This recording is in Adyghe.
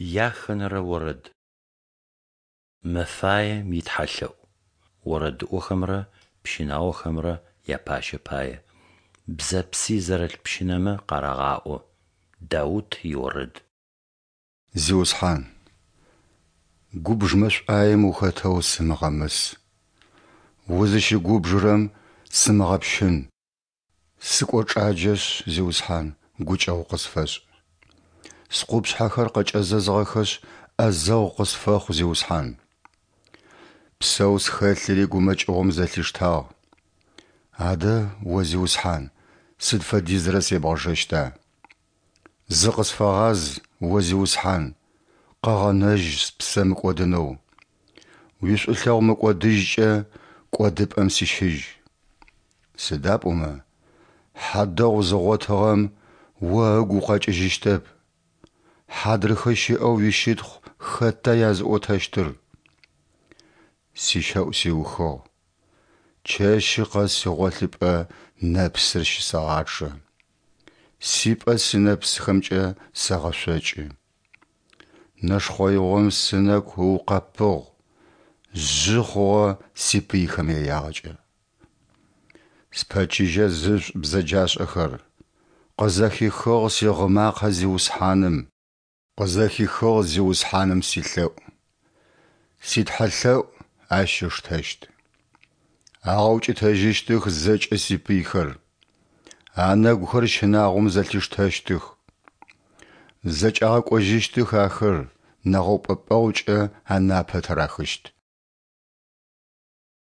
Яхэнэрэ орэд. Мэфаем итхьэлъэӏу. Орэдыӏохэмрэ пщынаохэмрэ япащэ пае. Бзэпси зэрылъ пщынэмэ къарагъаӏо. Даут иорэд. Зиусхьан, губж мэшӏуаем ухэтэу сымыгъэмыс, узыщыгубжырэм сымыгъэпщын. Сыкӏочӏаджэшъ, Зиусхьан, гукӏэгъу къысфэшӏ. Скъупшъхьэхэр къэкӏэзэзыгъэхэшъ, ӏэзэгъу къысфэхъу, Зиусхьан. Псэу схэлъыри гумэкӏыгъом зэлъиштагъ. Адэ, О Зиусхьан, сыд фэдизрэ себгъэжэщта? Зыкъысфэгъаз, О Зиусхьан, къэгъэнэжь спсэ мыкӏодынэу. Уишӏулъэгъу мыкӏодыжькӏэ кӏодыпӏэм сищыжь. Сыда пӏомэ, хьадэгъу зыгъотыгъэм О ыгу укъэкӏыжьыщтэп. Хьадрыхэ щыӏэу уищытхъу хэта языӏотэщтыр? Сищэӏу сиухыгъ. Чэщы къэс сигъолъыпӏэ нэпсыр щысэгъачъэ. Сипӏэ сынэпсхэмкӏэ сэгъэшъокӏы. Нэшхъэигъом сынэку ыукъэпыгъ, жъы хъугъэ сипыйхэм яягъэкӏэ. Спэчыжьэ зышӏ бзэджашӏэхэр, къызэхихыгъ сигъы макъэ Зиусхьаным. Къызэхихыгъ Зиусхьаным силъэӏу, ситхьэлъэӏу Ащ ыштэщт. Агъэукӏытэжьыщтых зэкӏэ сипыйхэр, анэгухэр щынагъом зэлъиштэщтых. Зэкӏагъэкӏожьыщтых ахэр, нэгъэупӏэпӏэгъукӏэ анапэ тырахыщт.